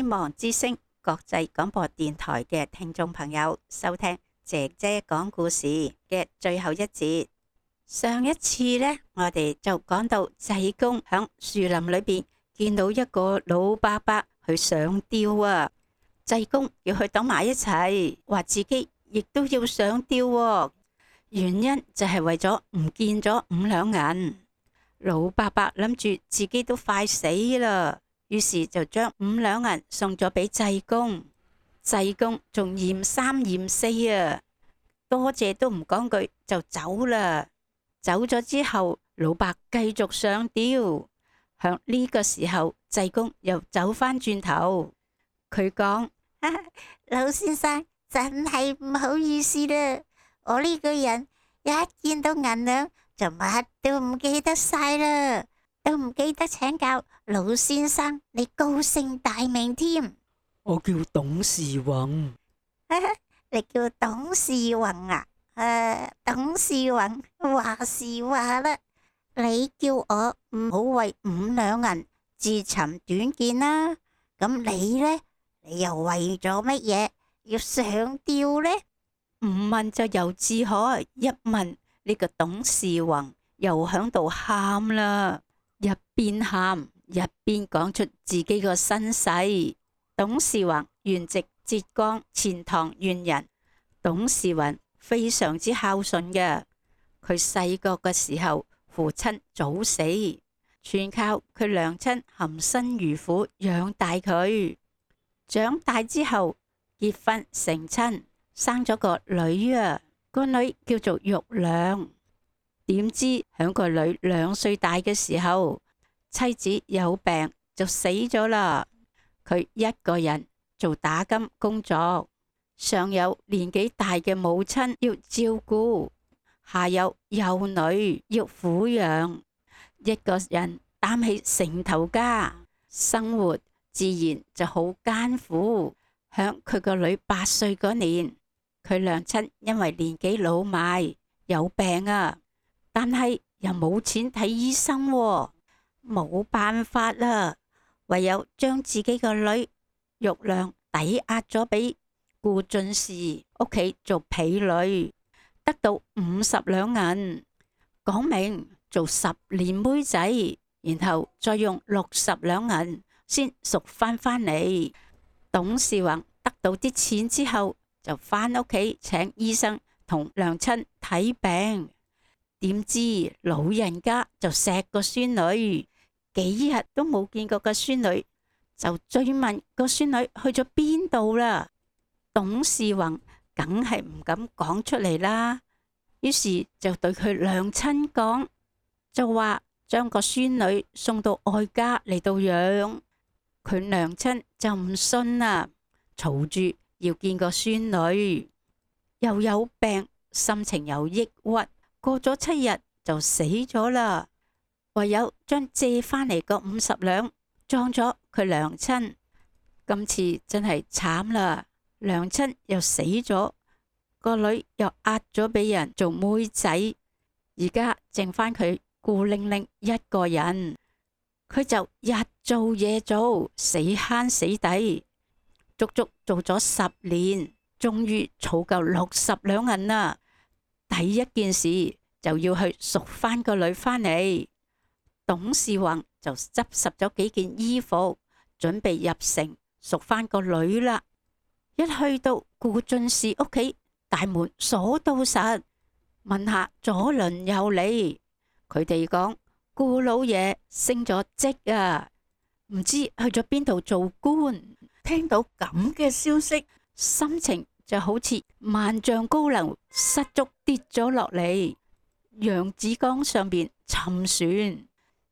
希望之聲國際廣播電台嘅聽眾朋友收聽姐姐講故事嘅最後一節。上一次呢，我哋就講到濟公響樹林裏邊見到一個老伯伯去上吊啊，濟公要佢等埋一齊，話自己亦都要上吊喎。原因就係為咗唔見咗5兩銀。老伯伯諗住自己都快死啦，於是就將5兩銀送咗俾濟公。濟公仲嫌三嫌四啊，多謝都唔講句就走啦。走咗之後，老伯繼續上吊。響呢個時候，濟公又走返轉頭，佢講：老先生真係唔好意思啦，我呢個人一見到銀兩就乜都唔記得晒啦，都唔記得請教老先生你高姓大名添。我叫董事宏。你叫董事宏啊？董事宏話是話啦，你叫我唔好為5兩銀自尋短見啦。咁你呢？你又為咗乜嘢要上吊呢？唔問就由自可，一問呢個董事宏又響度喊啦，一邊喊一邊講出自己個身世。董事宏原籍浙江錢塘縣人，董事宏非常之孝順嘅。佢細個嘅時候，父親早死，全靠佢娘親含辛茹苦養大佢。長大之後結婚成親，生咗個女啊，個女叫做玉娘。點知響個女2歲大嘅時候，妻子有病就死咗啦。佢一個人做打金工作，上有年紀大嘅母親要照顧，下有幼女要撫養，一個人擔起成頭家，生活自然就好艱苦。響佢個女8歲嗰年，佢娘親因為年紀老邁有病啊，但係又冇錢睇醫生喎，冇辦法啦，唯有將自己個女玉娘抵押咗俾顧進士屋企做婢女，得到50兩銀，講明做10年妹仔，然後再用60兩銀先贖翻嚟。董事宏得到啲錢之後，就翻屋企請醫生同娘親睇病，點知老人家就錫個孫女，幾日都冇見過個孫女，就追問個孫女去咗邊度啦。董事宏梗係唔敢講出嚟啦，於是就對佢娘親講，就話將個孫女送到外家嚟到養。佢娘親就唔信啦，嘈住要見個孫女，又有病，心情又抑鬱，過咗7日就死咗啦。唯有將借翻嚟個50兩裝咗佢娘親。今次真係慘啦，娘親又死咗，個女又壓咗俾人做妹仔，而家剩翻佢孤零零一個人。佢就日做夜做，死慳死抵，足足做咗10年，終於儲夠60兩銀啦。第一件事就要去贖翻個女翻嚟。董事宏就執拾咗幾件衣服，準備入城贖翻個女啦。一去到顧進士屋企，大門鎖到實，問下左鄰右里，佢哋講顧老爺升咗職啊，唔知去咗邊度做官。聽到咁嘅消息，心情就好似萬丈高樓失足跌咗落嚟，揚子江上邊沉船，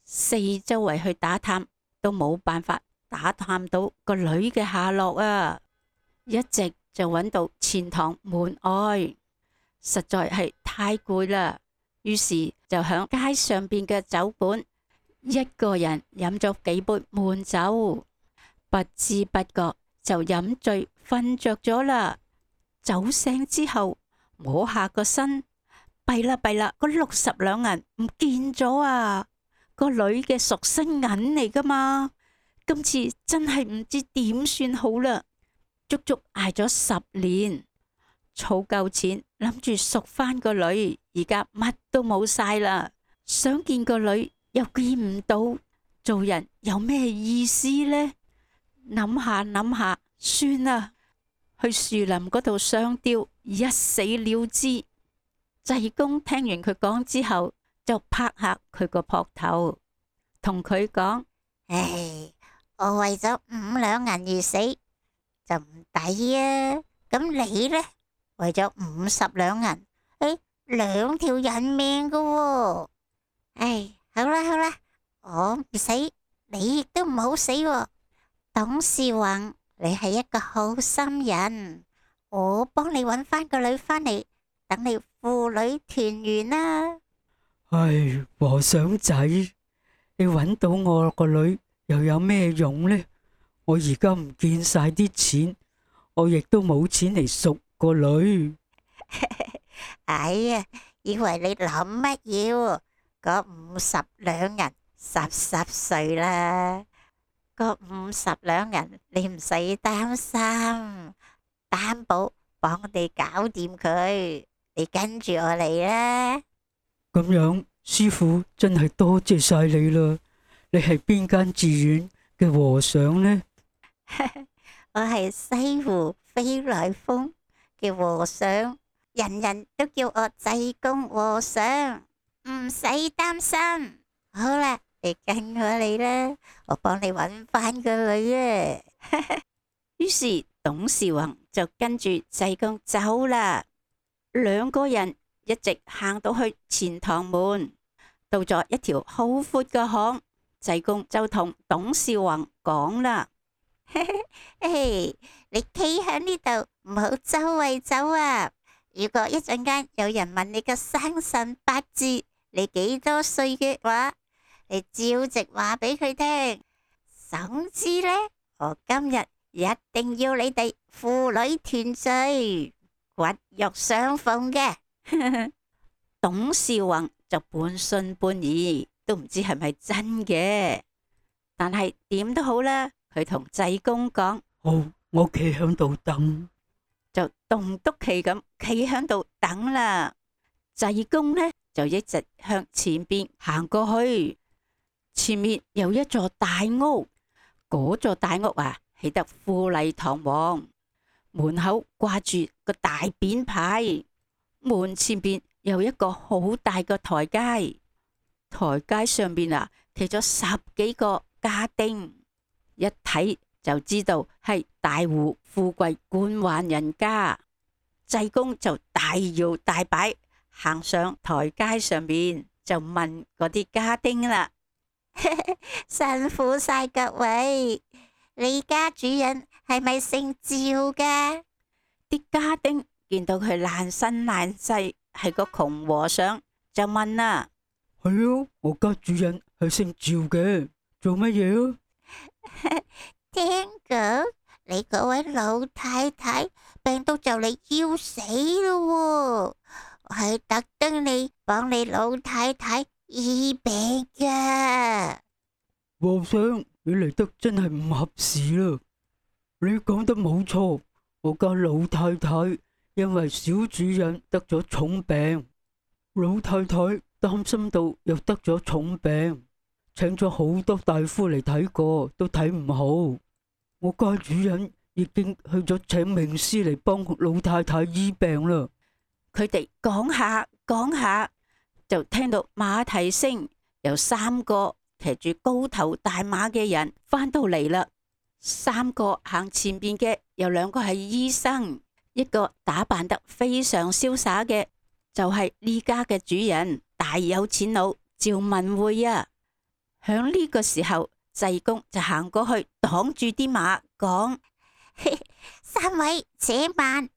四周圍去打探都冇辦法打探到個女嘅下落啊！一直就揾到錢塘門外，實在係太攰啦。於是就響街上邊嘅酒館，一個人飲咗幾杯悶酒，不知不覺就飲醉瞓着咗啦。酒醒之後摸下個身，弊啦弊啦，個60兩銀唔見咗啊！個女嘅贖身銀嚟噶嘛，今次真係唔知點算好啦，足足挨咗10年，儲夠錢，諗住贖翻個女，而家乜都冇晒啦，想見個女又見唔到，做人有咩意思呢？諗下諗下，算啦，去樹林嗰度上吊，一死了之。濟公聽完佢講之後，就拍下佢個膊頭，同佢講：唉，我為咗5兩銀而死就唔抵啊！咁你呢？為咗50兩銀，2條人命噶喎。唉，好啦好啦，我唔死，你亦都唔好死喎。董事宏，你係一個好心人，我幫你搵翻個女翻嚟，等你父女團圓啦。唉，和尚仔，你揾到我個女又有咩用呢？我而家唔見晒啲錢，我亦都冇錢嚟贖個女。哎呀，以為你諗乜嘢？嗰50兩銀濕碎啦，嗰50兩銀你唔使擔心，擔保幫你搞掂佢。你跟住我嚟啦。咁樣，師傅真係多謝晒你啦！你係邊間寺院嘅和尚呢？我係西湖飛來峰嘅和尚，人人都叫我濟公和尚，唔使擔心。好啦，你跟我嚟啦，我幫你搵翻個女啊！於是董事宏就跟住濟公走啦。2個人一直行到去錢塘門，到咗一條好闊嘅巷，濟公就同董事宏講啦：你企喺呢度，唔好周圍走啊！如果一陣間有人問你個生辰八字，你幾多歲嘅話，你照直話俾佢聽。總之呢，我今日一定要你哋父女團聚，骨肉相逢嘅。董事宏就半信半疑，都唔知係咪真嘅。但係點都好啦，佢同濟公講：好，我企響度等。就棟篤企咁企響度等啦。濟公呢就一直向前邊行過去，前面有一座大屋，嗰座大屋啊起得富麗堂皇，門口掛住個大匾牌，門前邊有一個好大嘅台階，台階上邊啊企咗10幾個家丁，一睇就知道係大戶富貴官宦人家。濟公就大搖大擺行上台階上面，就問嗰啲家丁啦：辛苦晒各位，你家主人係咪姓趙噶？啲家丁見到佢爛身爛世係個窮和尚，就問啦：係啊，我家主人係姓趙嘅，做乜嘢啊？聽講你嗰位老太太病到就嚟要死咯，我係特登嚟幫你老太太醫病噶。和尚，你嚟得真係唔合時啦！你講得冇錯，我家老太太因為小主人得咗重病，老太太擔心到又得咗重病，請咗好多大夫嚟睇過，都睇唔好。我家主人已經去咗請名師嚟幫老太太醫病啦。佢哋講下講下，就聽到馬蹄聲，有3個騎住高頭大馬嘅人返到嚟啦。3個行前邊嘅有2個係醫生，一個打扮得非常瀟灑嘅就係呢家嘅主人，大有錢佬趙文匯啊。響呢個時候，濟公就行過去擋住啲馬，講：3位且慢，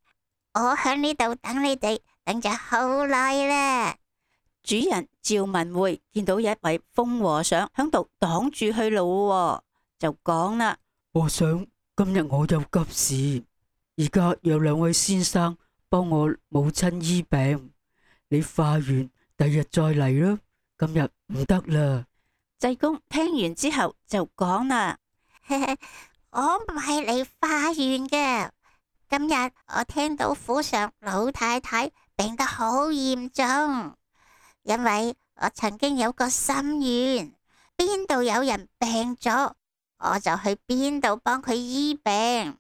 我響呢度等你哋，等咗好耐啦。主人趙文匯見到一位瘋和尚響度擋住去路，就講啦：和尚，今日我有急事，而家有2位先生幫我母親醫病，你化完第日再嚟啦，今日唔得啦。濟公聽完之後就講啦：我唔係嚟化緣嘅。今日我聽到府上老太太病得好嚴重，因為我曾經有個心願，邊度有人病咗，我就去邊度幫佢醫病。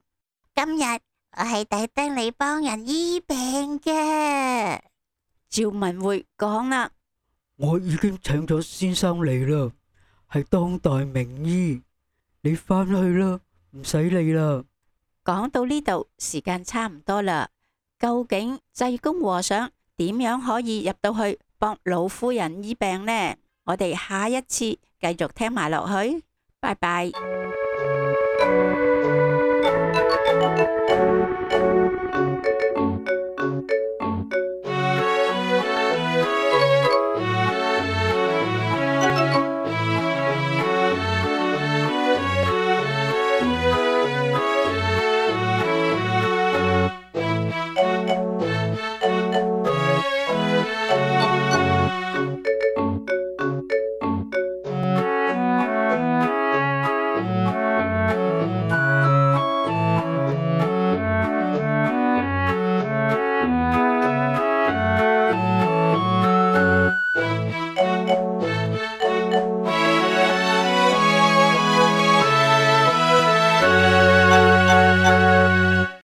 今日我係特登嚟幫人醫病嘅。趙文會講啦，我已經請咗先生嚟啦，係當代名醫，你返去啦，唔使理啦。講到呢度，時間差唔多啦。究竟濟公和尚點樣可以入到去幫老夫人醫病呢？我哋下一次繼續聽埋落去。拜拜。